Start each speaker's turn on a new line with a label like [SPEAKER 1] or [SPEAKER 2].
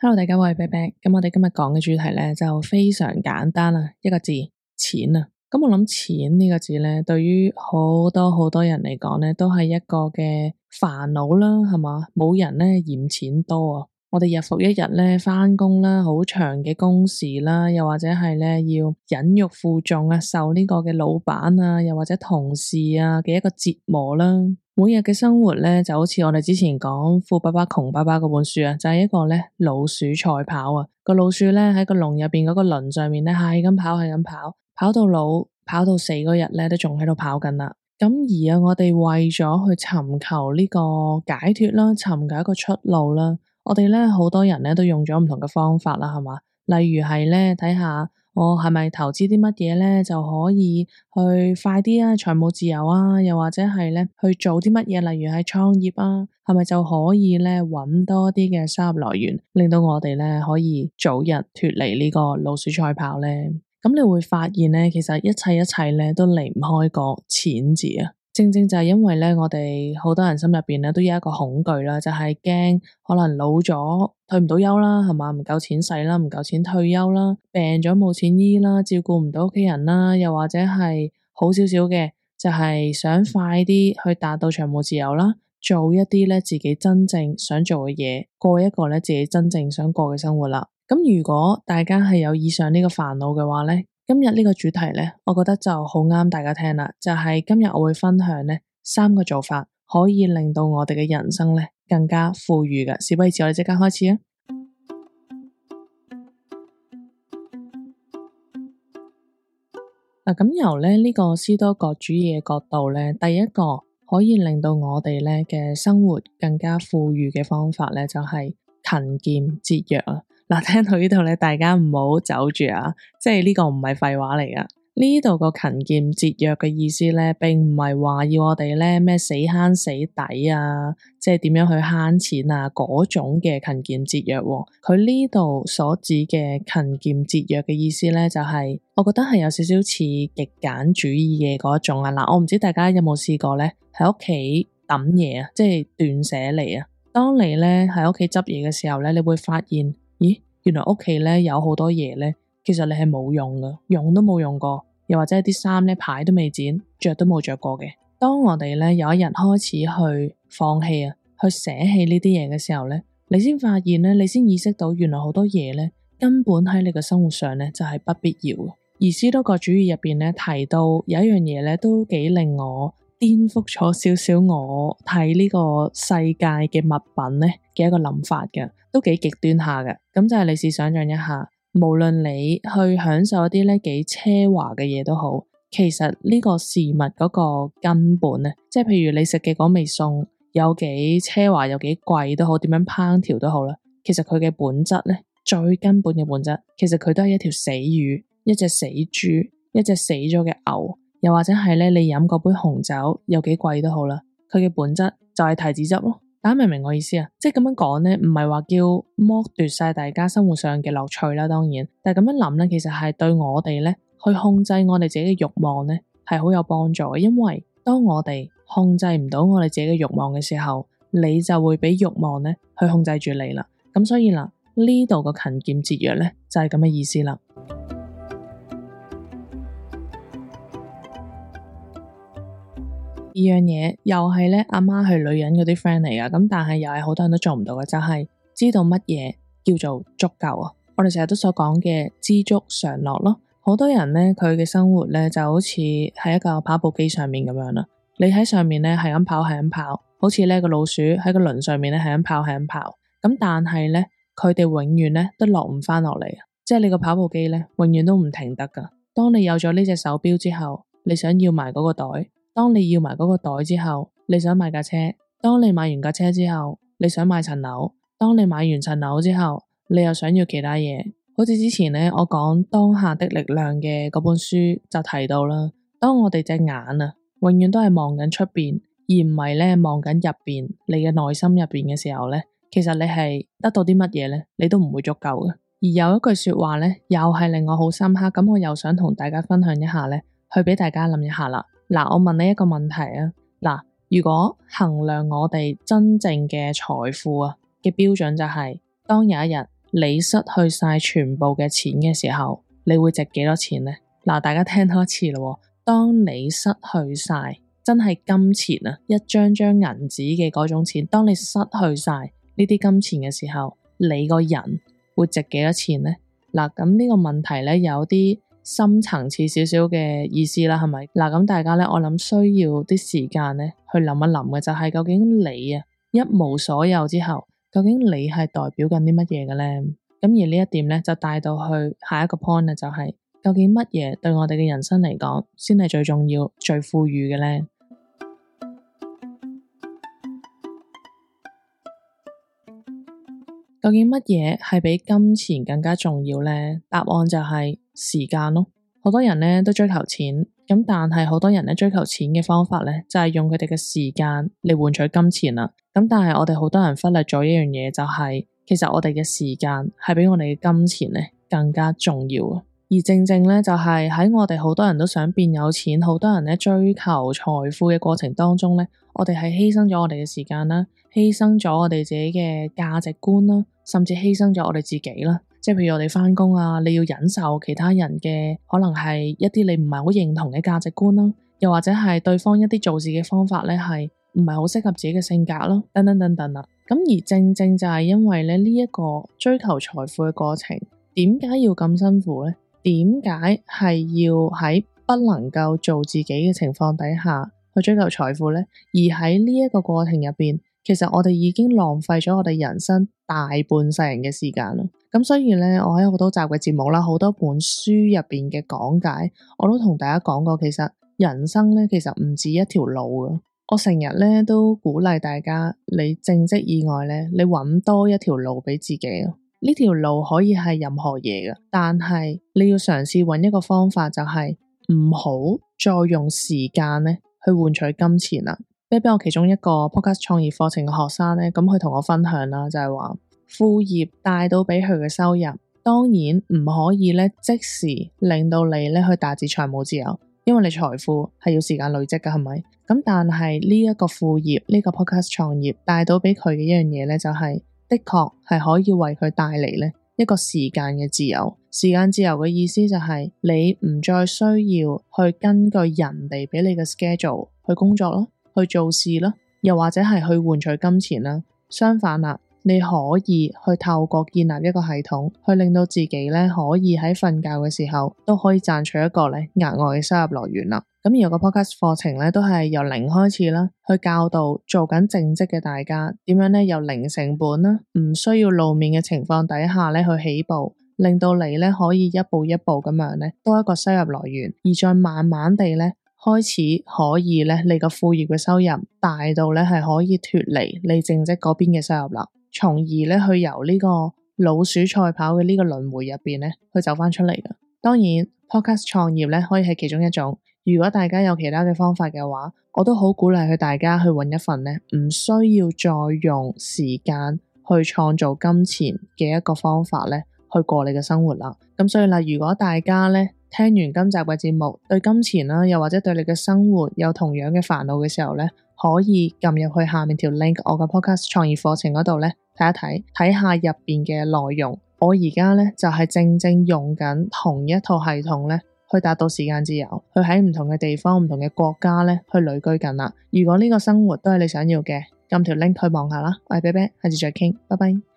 [SPEAKER 1] Hello，大家好，我係 Bear Bear。咁我哋今日講嘅主題咧就非常簡單啦，一個字，錢啊。咁我諗錢呢個字咧，對於好多人嚟講咧，都係一個嘅煩惱啦，係嘛？冇人咧嫌錢多啊。我哋日復一日咧返工啦，好長嘅工時啦，又或者係咧要忍辱負重啊，受呢個嘅老闆啊，又或者同事啊嘅一個折磨啦。每日嘅生活咧就好似我哋之前講富爸爸窮爸爸嗰本書啊，就係一個咧老鼠賽跑啊。個老鼠咧喺個籠入邊嗰個輪上面咧係咁跑，跑到老，跑到死嗰日咧都仲喺度跑緊啦。咁而我哋為咗去尋求呢個解脫啦，尋求一個出路啦，我哋咧好多人咧都用咗唔同嘅方法啦，係嘛？例如係咧睇下我係咪投資啲乜嘢咧就可以去快啲啊，財務自由啊，又或者係咧去做啲乜嘢，例如係創業啊，係咪就可以咧搵多啲嘅收入來源，令到我哋咧可以早日脫離呢個老鼠賽跑咧？咁你會發現咧，其實一切咧都離唔開個錢字啊！正正就係因為咧，我哋好多人心入邊咧都有一個恐懼啦，就係驚可能老咗退唔到休啦，係嘛？唔夠錢使啦，唔夠錢退休啦，病咗冇錢醫啦，照顧唔到屋企人啦，又或者係好少少嘅，就係想快啲去達到財務自由啦，做一啲咧自己真正想做嘅嘢，過一個咧自己真正想過嘅生活啦。咁如果大家係有以上呢個煩惱嘅話咧，今日呢個主題咧，我覺得就好啱大家聽啦。就係今日我會分享咧3個做法，可以令到我哋嘅人生咧更加富裕嘅。事不宜遲，我哋即刻開始啊！嗱，咁由咧呢個斯多葛主義嘅角度咧，第一個可以令到我哋咧嘅生活更加富裕嘅方法咧，就係勤儉節約啊！嗱，聽到呢度咧，大家唔好走住啊！即係呢個唔係廢話嚟噶。呢度個勤儉節約嘅意思咧，並唔係話要我哋咧咩死慳死抵啊，即係點樣去慳錢啊嗰種嘅勤儉節約。佢呢度所指嘅勤儉節約嘅意思咧，就係我覺得係有少少似極簡主義嘅嗰種啊。嗱，我唔知大家有冇試過咧喺屋企抌嘢啊，即係斷捨離啊。當你咧喺屋企執嘢嘅時候咧，你會發現，咦，原來屋企咧有好多嘢咧，其實你係冇用噶，用都冇用過，又或者係啲衫咧牌都未剪，着都冇着過嘅。當我哋咧有一日開始去放棄啊，去捨棄呢啲嘢嘅時候咧，你先發現咧，你先意識到原來好多嘢咧根本喺你嘅生活上咧就係不必要嘅。而斯多葛主義入邊咧提到有一樣嘢咧都幾令我顛覆咗少少我睇呢個世界嘅物品咧嘅一個諗法嘅，都幾極端下嘅。咁就係你試想象一下，無論你去享受一啲咧幾奢華嘅嘢都好，其實呢個事物嗰個根本咧，即係譬如你食嘅嗰味餸有幾奢華有幾貴都好，點樣烹調都好啦，其實佢嘅本質咧，最根本嘅本質，其實佢都係一條死魚，一隻死豬，一隻死咗嘅牛。又或者係咧，你飲嗰杯紅酒有幾貴都好啦，佢嘅本質就係提子汁咯。大家明唔明我意思啊？即係咁樣講咧，唔係話叫剝奪晒大家生活上嘅樂趣啦，當然，但係咁樣諗咧，其實係對我哋咧去控制我哋自己嘅慾望咧係好有幫助嘅。因為當我哋控制唔到我哋自己嘅慾望嘅時候，你就會俾慾望咧去控制住你啦。咁所以啦，呢度個勤儉節約咧就係咁嘅意思啦。二樣嘢又係咧，阿媽係女人嗰啲 friend 嚟噶，咁但係又係好多人都做唔到嘅，就係知道乜嘢叫做足夠啊！我哋成日都所講嘅知足常樂咯。好多人咧，佢嘅生活咧就好似喺一個跑步機上面咁樣啦。你喺上面咧係咁跑，係咁跑，好似呢個老鼠喺個輪上面咧係咁跑，係咁跑。咁但係咧，佢哋永遠咧都落唔翻落嚟啊！即係你個跑步機咧，永遠都唔停得噶。當你有咗呢隻手錶之後，你想要埋嗰個袋。當你要埋嗰個袋之後，你想買架車；當你買完架車之後，你想買層樓；當你買完層樓之後，你又想要其他嘢。好似之前咧，我講當下的力量嘅嗰本書就提到啦。當我哋隻眼啊，永遠都係望緊出邊，而唔係咧望緊入邊，你嘅內心入邊嘅時候咧，其實你係得到啲乜嘢咧，你都唔會足夠嘅。而有一句說話咧，又係令我好深刻，咁我又想同大家分享一下咧，去俾大家諗一下啦。嗱，我問你一個問題啊，嗱，如果衡量我哋真正嘅財富啊嘅標準就係，當有一日你失去晒全部嘅錢嘅時候，你會值幾多錢呢？嗱，大家聽多一次咯。當你失去晒真係金錢啊，一張張銀紙嘅嗰種錢，當你失去晒呢啲金錢嘅時候，你個人會值幾多錢呢？嗱，咁呢個問題咧有啲深層次少少嘅意思啦，係咪？嗱，咁大家咧，我諗需要啲時間咧去諗一諗嘅，就係究竟你啊一無所有之後，究竟你係代表緊啲乜嘢嘅咧？咁而呢一點咧就帶到去下一個 point 啊，就係究竟乜嘢對我哋嘅人生嚟講先係最重要、最富裕嘅咧？究竟乜嘢係比金錢更加重要呢？答案就係時間咯。好多人咧都追求錢，咁但係好多人咧追求錢嘅方法咧就係用佢哋嘅時間嚟換取金錢啦。咁但係我哋好多人忽略咗一樣嘢，就係其實我哋嘅時間係比我哋嘅金錢咧更加重要啊。而正正咧就係喺我哋好多人都想變有錢，好多人咧追求財富嘅過程當中咧，我哋係犧牲咗我哋嘅時間啦，犧牲咗我哋自己嘅價值觀啦，甚至犧牲咗我哋自己啦。即係譬如我哋返工啊，你要忍受其他人嘅可能係一啲你唔係好認同嘅價值觀啦，又或者係對方一啲做事嘅方法咧係唔係好適合自己嘅性格咯，等等等等啦。咁而正正就係因為咧呢一個追求財富嘅過程，點解要咁辛苦咧？點解係要喺不能夠做自己嘅情況底下去追求財富咧？而喺呢一個過程入邊，其實我哋已經浪費咗我哋人生大半世人嘅時間啦。咁所以咧，我喺好多集嘅節目啦，好多本書入邊嘅講解，我都同大家講過，其實人生咧其實唔止一條路噶。我成日咧都鼓勵大家，你正職以外咧，你揾多一條路俾自己咯。呢條路可以係任何嘢噶，但係你要嘗試揾一個方法，就係唔好再用時間咧去換取金錢啦。俾我其中一個 podcast 創業課程嘅學生咧，咁佢同我分享啦，就係話副業帶到俾佢嘅收入，當然唔可以咧即時令到你咧去達至財務自由，因為你財富係要時間累積噶，係咪？咁但係呢一個副業，呢個 podcast 創業帶到俾佢嘅一樣嘢咧，就係的確係可以為佢帶嚟咧一個時間嘅自由。時間自由嘅意思就係你唔再需要去根據人哋俾你嘅 schedule 去工作咯，去做事啦，又或者係去換取金錢啦。相反啦，你可以去透過建立一個系統，去令到自己咧可以喺瞓覺嘅時候都可以賺取一個咧額外嘅收入來源啦。咁而個 podcast 課程咧都係由零開始啦，去教導做緊正職嘅大家點樣咧由零成本啦，唔需要露面嘅情況底下咧去起步，令到你咧可以一步一步咁樣咧多一個收入來源，而再慢慢地咧開始可以咧你個副業嘅收入大到咧係可以脫離你正職嗰邊嘅收入啦，從而咧去由呢個老鼠賽跑嘅呢個輪迴入邊咧去走翻出嚟嘅。當然 podcast 創業咧可以係其中一種，如果大家有其他嘅方法嘅話，我都好鼓勵去大家去揾一份咧唔需要再用時間去創造金錢嘅一個方法咧去過你嘅生活啦。咁所以啦，如果大家咧聽完今集嘅節目，對金錢啦，又或者對你嘅生活有同樣嘅煩惱嘅時候咧，可以撳入去下面條 link， 我嘅 podcast 創業課程嗰度咧睇一睇，睇下入邊嘅內容。我而家咧就係正正用緊同一套系統咧，去達到時間自由，去喺唔同嘅地方、唔同嘅國家咧去旅居緊啦。如果呢個生活都係你想要嘅，撳條 link 去望下啦。我係啤啤，下次再傾，拜拜。